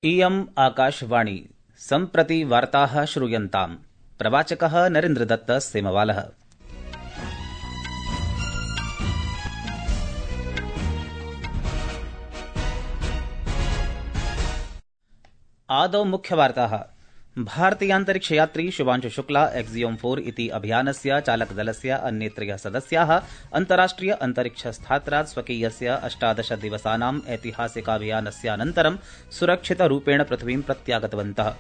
इयम् आकाशवाणी सम्प्रति वार्ताः श्रूयन्ताम्। प्रवाचकः नरेन्द्रदत्त सेमवालः। आदौ मुख्यवार्ताः। भारतीयान्तरिक्षयात्री शुभांशु शुक्ला एक्सियोम 4 इति अभियानस्य चालकदलस्य अन्ये 3 सदस्याः अन्ताराष्ट्रिय अन्तरिक्षस्थात्रात् स्वकीयस्य 18 दिवसानाम् ऐतिहासिकाभियानस्यानन्तरं सुरक्षितरूपेण पृथिवीं प्रत्यागतवन्तः।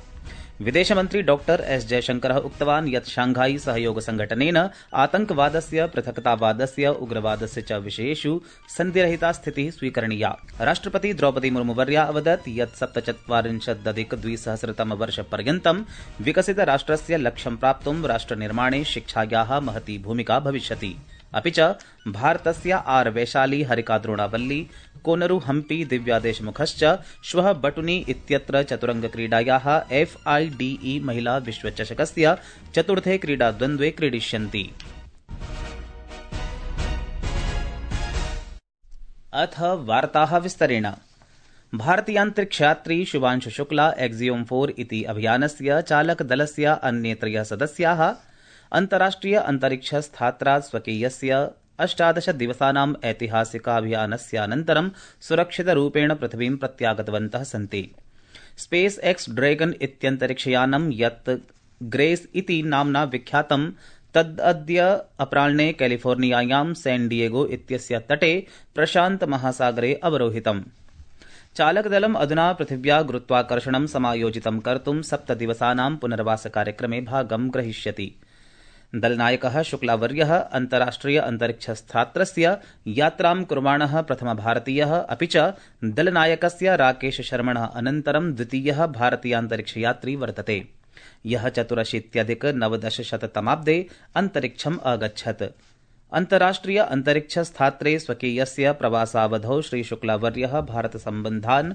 विदेशमन्त्री डॉ एस जयशंकरः उक्तवान् यत् शांघाई सहयोग संघटनेन आतंकवादस्य, पृथक्तावादस्य, उग्रवादस्य च विषयेषु सन्धिरहिता स्थितिः स्वीकरणीया। राष्ट्रपति द्रौपदी मुर्मुवर्या अवदत् यत् 47-2000तमवर्षपर्यन्तं विकसितराष्ट्रस्य लक्ष्यं प्राप्तुं राष्ट्रनिर्माणे शिक्षायाः महती भूमिका भविष्यति। अपि च भारतस्य आर वैशाली, हरिका द्रोणावल्ली, कोनरू हम्पी, दिव्या देशमुखश्च श्वः बटुनी इत्यत्र चतुरङ्गक्रीडायाः FIDE महिला विश्वचषकस्य चतुर्थे क्रीडाद्वन्द्वे क्रीडिष्यन्ति। अथ वार्ताः विस्तरेण। भारतीयान्तरिक्षयात्री शुभांशु शुक्ला एक्सियोम 4 इति अभियानस्य चालकदलस्य अन्ये 3 सदस्याः अन्ताराष्ट्रिय अन्तरिक्षस्थात्रात् स्वकीयस्य 18 दिवसानाम् ऐतिहासिकाभियानस्यानन्तरं सुरक्षितरूपेण पृथिवीं प्रत्यागतवन्तः सन्ति। स्पेस एक्स ड्रैगन इत्यन्तरिक्षयानं यत् ग्रेस इति नाम्ना विख्यातं तदद्य अपराह्ने कैलिफोर्नियायां सैन डिएगो इत्यस्य तटे प्रशान्तमहासागरे अवरोहितम्। चालकदलम् अधुना पृथिव्या गुरुत्वाकर्षणं समायोजितं कर्तुं 7 दिवसानां पुनर्वासकार्यक्रमे भागं ग्रहीष्यति। दलनायकः शुक्लावर्यः अन्ताराष्ट्रिय अन्तरिक्षस्थात्रस्य यात्रां कुर्वाणः प्रथमभारतीयः, अपि च दलनायकस्य राकेश शर्मणः अनन्तरं द्वितीयः भारतीयान्तरिक्षयात्री वर्तते, यः 84-1900तमाब्दे अन्तरिक्षम् अगच्छत्। अन्ताराष्ट्रिय अन्तरिक्षस्थात्रे स्वकीयस्य प्रवासावधौ श्रीशुक्लावर्यः भारतसम्बद्धान्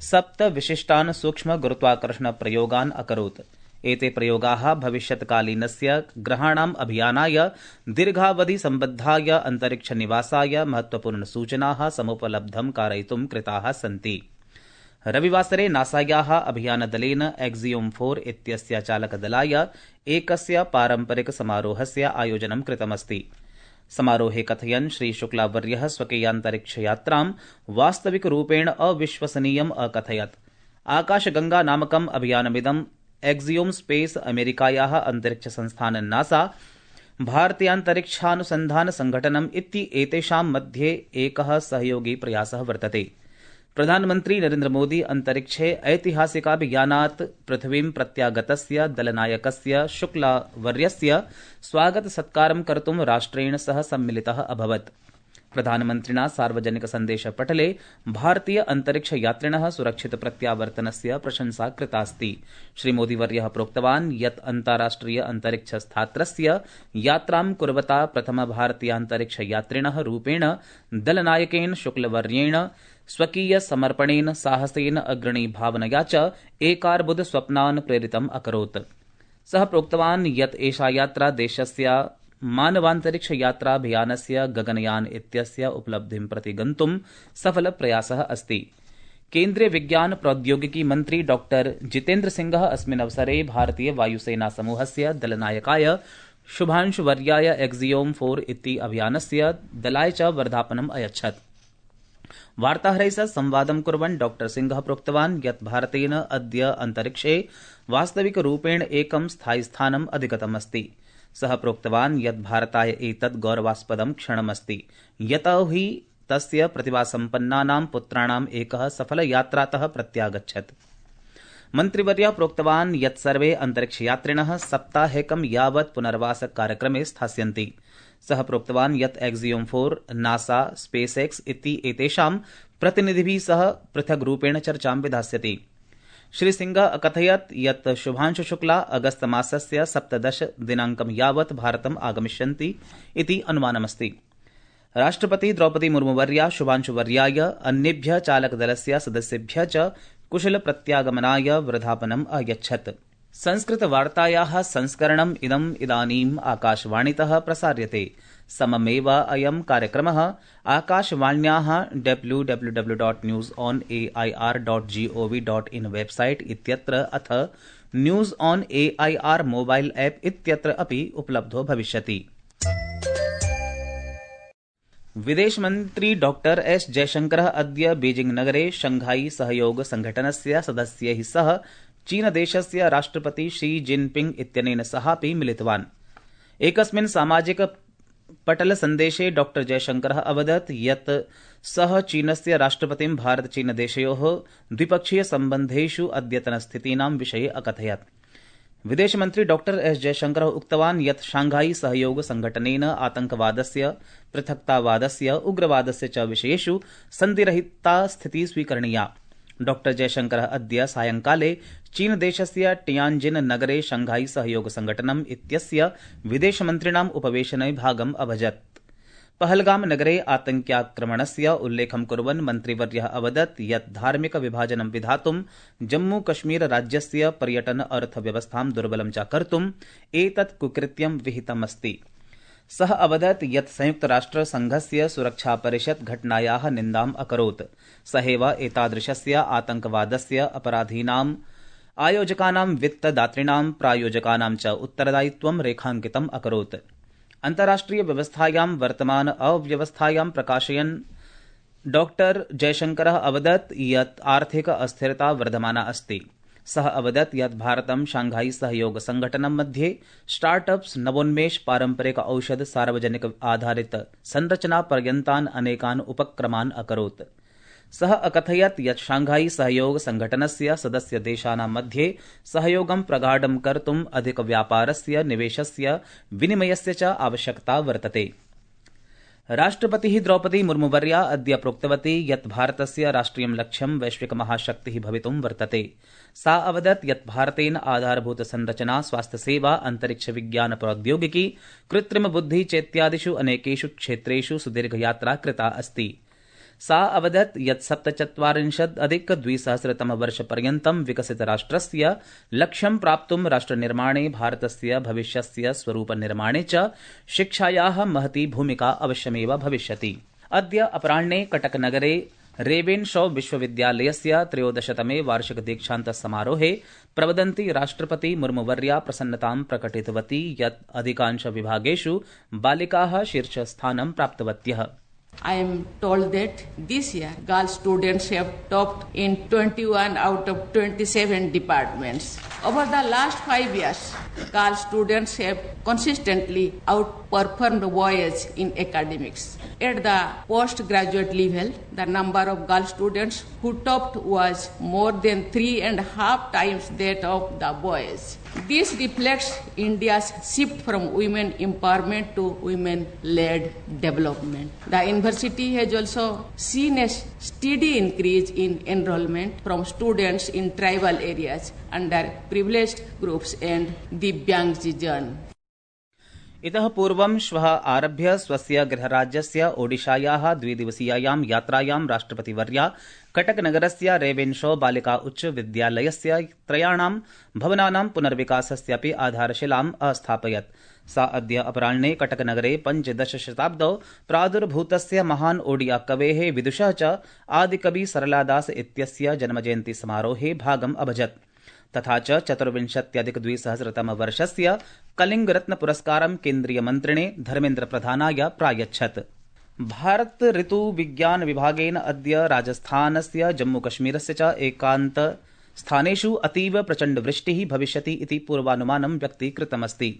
7 विशिष्टान् सूक्ष्म गुरुत्वाकर्षणप्रयोगान् अकरोत्। एते प्रयोगाः भविष्यत्कालीनस्य ग्रहाणाम् अभियानाय, दीर्घावधिसम्बद्धाय अन्तरिक्षनिवासाय महत्वपूर्णसूचनाः समुपलब्धं कारयितुं कृताः सन्ति। रविवासरे नासायाः अभियानदलेन एक्सियोम 4 इत्यस्य चालकदलाय एकस्य पारम्परिकसमारोहस्य आयोजनं कृतमस्ति। समारोहे कथयन् श्रीशुक्लावर्यः स्वकीयान्तरिक्षयात्रां वास्तविकरूपेण अविश्वसनीयम् अकथयत्। आकाशगंगा नामकम् अभियानमिदं एक्सियोम स्पेस अमेरिकायाः अन्तरिक्षसंस्थान नासा, भारतीयान्तरिक्षानुसन्धान संघटनम् इति एतेषां मध्ये एकः सहयोगी प्रयासः वर्तते। प्रधानमन्त्री नरेन्द्र मोदी अन्तरिक्षे ऐतिहासिकाभियानात् पृथिवीं प्रत्यागतस्य दलनायकस्य शुक्लावर्यस्य स्वागतसत्कारं कर्तुं राष्ट्रेण सह सम्मिलितः अभवत्। प्रधानमन्त्रिणा सार्वजनिकसन्देशपटले भारतीय अन्तरिक्षयात्रिणः सुरक्षितप्रत्यावर्तनस्य प्रशंसा कृतास्ति। श्रीमोदीवर्यः प्रोक्तवान् यत् अन्ताराष्ट्रिय अन्तरिक्षस्थात्रस्य यात्रां कुर्वता प्रथमभारतीयान्तरिक्षयात्रिणः रूपेण दलनायकेन शुक्लवर्येण स्वकीयसमर्पणेन, साहसेन, अग्रणीभावनया च एकार्बुदस्वप्नान् प्रेरितम् अकरोत्। सः प्रोक्तवान् यत् एषा यात्रा देशस्य मानवान्तरिक्षयात्राभियानस्य गगनयान इत्यस्य उपलब्धिं प्रति गन्तुं सफलप्रयासः अस्ति। केन्द्रीय विज्ञान प्रौद्योगिकी मन्त्री डॉ जितेन्द्र सिंहः अस्मिन् अवसरे भारतीय वायुसेना समूहस्य दलनायकाय शुभांशुवर्याय एक्सियोम 4 इति अभियानस्य दलाय च वर्धापनम् अयच्छत्। वार्ताहरैः सह संवादं कुर्वन् डॉ सिंहः प्रोक्तवान् यत् भारतेन अद्य अन्तरिक्षे वास्तविकरूपेण एकं स्थायिस्थानम् अधिगतमस्ति। सः प्रोक्तवान् यत् भारताय एतत् गौरवास्पदं क्षणमस्ति, यतो हि तस्य प्रतिभासम्पन्नानां पुत्राणाम् एकः सफलयात्रातः प्रत्यागच्छत्। मन्त्रिवर्यः प्रोक्तवान् यत् सर्वे अन्तरिक्षयात्रिणः सप्ताहेकं यावत् पुनर्वासकार्यक्रमे स्थास्यन्ति। सः प्रोक्तवान् यत् एक्सियोम 4, नासा, स्पेस एक्स इति एतेषां प्रतिनिधिभिः सह पृथग्रूपेण चर्चां विधास्यति। श्रीसिंहः अकथयत् यत् शुभांशु शुक्ला अगस्त मासस्य 17 दिनाङ्कं यावत् भारतम् आगमिष्यन्ति इति अनुमानमस्ति। राष्ट्रपति द्रौपदी मुर्मुवर्या शुभांशुवर्याय, अन्येभ्यः चालकदलस्य सदस्येभ्यः च कुशलप्रत्यागमनाय वर्धापनम् अयच्छत्। संस्कृतवार्तायाः संस्करणम् इदानीम् आकाशवाणीतः प्रसार्यते। सममेव अयं कार्यक्रमः आकाशवाण्याः www.newsonair.gov.in वेबसाइट इत्यत्र अथ news on AIR mobile app इत्यत्र अपि उपलब्धो भविष्यति। विदेशमन्त्री डॉक्टर एस जयशंकरः अद्य बीजिंग नगरे शंघाई सहयोग संघटनस्य सदस्यैः सह चीनदेशस्य राष्ट्रपति शी जिनपिंग इत्यनेन सहापि मिलितवान्। एकस्मिन् सामाजिक पटल सन्देशे डॉक्टर जयशंकरः अवदत् यत् सः चीनस्य राष्ट्रपतिं भारत-चीनदेशयोः द्विपक्षीय सम्बन्धेषु अद्यतनस्थितीनां विषये अकथयत्। विदेशमन्त्री डॉक्टर एस जयशंकरः उक्तवान् यत् शांघाई सहयोग संघटनेन आतंकवादस्य, पृथक्तावादस्य, उग्रवादस्य च विषयेषु सन्धिरहिता स्थितिः स्वीकरणीया। डॉक्टर जयशंकरः अद्य सायंकाले चीनदेशस्य टियानजिन नगरे शंघाई सहयोग संघटनम् इत्यस्य विदेशमन्त्रिणाम् उपवेशने भागम् अभजत्। पहलगाम नगरे आतंक्याक्रमणस्य उल्लेखं कुर्वन् मन्त्रिवर्यः अवदत् यत् धार्मिक विभाजनं विधातुं जम्मू कश्मीर राज्यस्य पर्यटन अर्थव्यवस्थां दुर्बलं च कर्तुम् एतत् कुकृत्यं विहितमस्ति। सः अवदत् यत् संयुक्तराष्ट्रसङ्घस्य सुरक्षापरिषत् घटनायाः निन्दाम् अकरोत्। सहैव एतादृशस्य आतंकवादस्य अपराधीनाम् आयोजकानां, वित्तदातॄणां, प्रायोजकानां च उत्तरदायित्वं रेखाङ्कितम् अकरोत्। अन्ताराष्ट्रिय व्यवस्थायां वर्तमान अव्यवस्थायां प्रकाशयन् डॉक्टर जयशंकरः अवदत् यत् आर्थिक अस्थिरता वर्धमाना अस्ति। सः अवदत् यत् भारतं शांघाई सहयोग संघटनं मध्ये स्टार्टअप्स, नवोन्मेष, पारंपरिक औषध, सार्वजनिक आधारित संरचना पर्यन्तान् अनेकान् उपक्रमान् अकरोत्। सः अकथयत् यत् शांघाई सहयोग संघटनस्य सदस्य देशानां मध्ये सहयोगं प्रगाढं कर्तुम् अधिकव्यापारस्य, निवेशस्य, विनिमयस्य च आवश्यकता वर्तते। राष्ट्रपतिः द्रौपदी मुर्मुवर्या अद्य प्रोक्तवती यत् भारतस्य राष्ट्रियं लक्ष्यं वैश्विक महाशक्तिः भवितुं वर्तते। सा अवदत् यत् भारतेन आधारभूत संरचना, स्वास्थ्यसेवा, अंतरिक्ष विज्ञान प्रौद्योगिकी, कृत्रिम बुद्धि चेत्यादिषु अनेकेषु क्षेत्रेषु सुदीर्घयात्रा कृता अस्ति। सा अवदत् यत् 47-2000 विकसितराष्ट्रस्य लक्ष्यं प्राप्तुं राष्ट्रनिर्माणे, भारतस्य भविष्यस्य स्वरूपनिर्माणे च शिक्षायाः महती भूमिका अवश्यमेव भविष्यति। अद्य अपराह्णे कटकनगरे रेवेन शॉ विश्वविद्यालयस्य 13तमे वार्षिक दीक्षान्त समारोहे प्रवदन्ती राष्ट्रपति मुर्मुवर्या प्रसन्नतां प्रकटितवती यत् अधिकांश विभागेषु बालिकाः शीर्षस्थानं प्राप्तवत्यः। I am told that this year girl students have topped in 21 out of 27 departments. Over the last 5 years, girl students have consistently outperformed boys in academics. At the postgraduate level, the number of girl students who topped was more than 3.5 times that of the boys. This reflects India's shift from women empowerment to women-led development. The university has also seen a steady increase in enrollment from students in tribal areas, underprivileged groups and Divyangjan. इतः पूर्वं श्वः आरभ्य स्वस्य गृहराज्यस्य ओडिशायाः 2-दिवसीयायां यात्रायां राष्ट्रपतिवर्या कटकनगरस्य Ravenshaw बालिका उच्च विद्यालयस्य 3 भवनानां पुनर्विकासस्यापि आधारशिलाम् अस्थापयत्। सा अद्य अपराह्णे कटकनगरे 15 शताब्दौ प्रादुर्भूतस्य महान् ओडिया कवेः विदुषः च आदिकवि सरलादास इत्यस्य जन्मजयन्ती समारोहे भागम् अभजत्। तथा च 24-2000 कलिंगरत्न पुरस्कारं केन्द्रीयमन्त्रिणे धर्मेन्द्र प्रधानाय प्रायच्छत्। भारत ऋतु विज्ञान विभागेन अद्य राजस्थानस्य, जम्मूकश्मीरस्य च एकान्त स्थानेषु अतीव प्रचण्ड वृष्टिः भविष्यति इति पूर्वानुमानं व्यक्तीकृतमस्ति।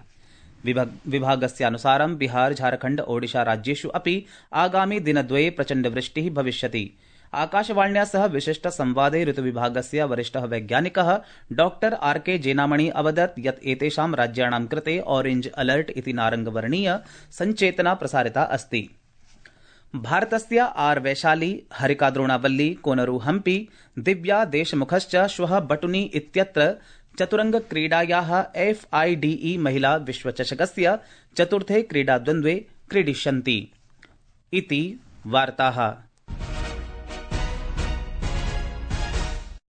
विभागस्यानुसारं बिहार, झारखण्ड, ओडिशा राज्येषु अपि आगामि दिनद्वये प्रचण्ड वृष्टिः भविष्यति। आकाशवाण्या सह विशिष्ट संवादे ऋतुविभागस्य वरिष्ठः वैज्ञानिकः डॉक्टर आर.के. जेनामणि अवदत् यत् एतेषां राज्याणां कृते ऑरेंज अलर्ट इति नारङ्गवर्णीय सञ्चेतना प्रसारिता अस्ति। भारतस्य आर. वैशाली, हरिका द्रोणावल्ली, कोनरू हम्पी, दिव्या देशमुखश्च श्वः बटुनी इत्यत्र चतुरङ्गक्रीडायाः FIDE महिला विश्वचषकस्य चतुर्थे क्रीडाद्वन्द्वे क्रीडिष्यन्ति। इति वार्ताः।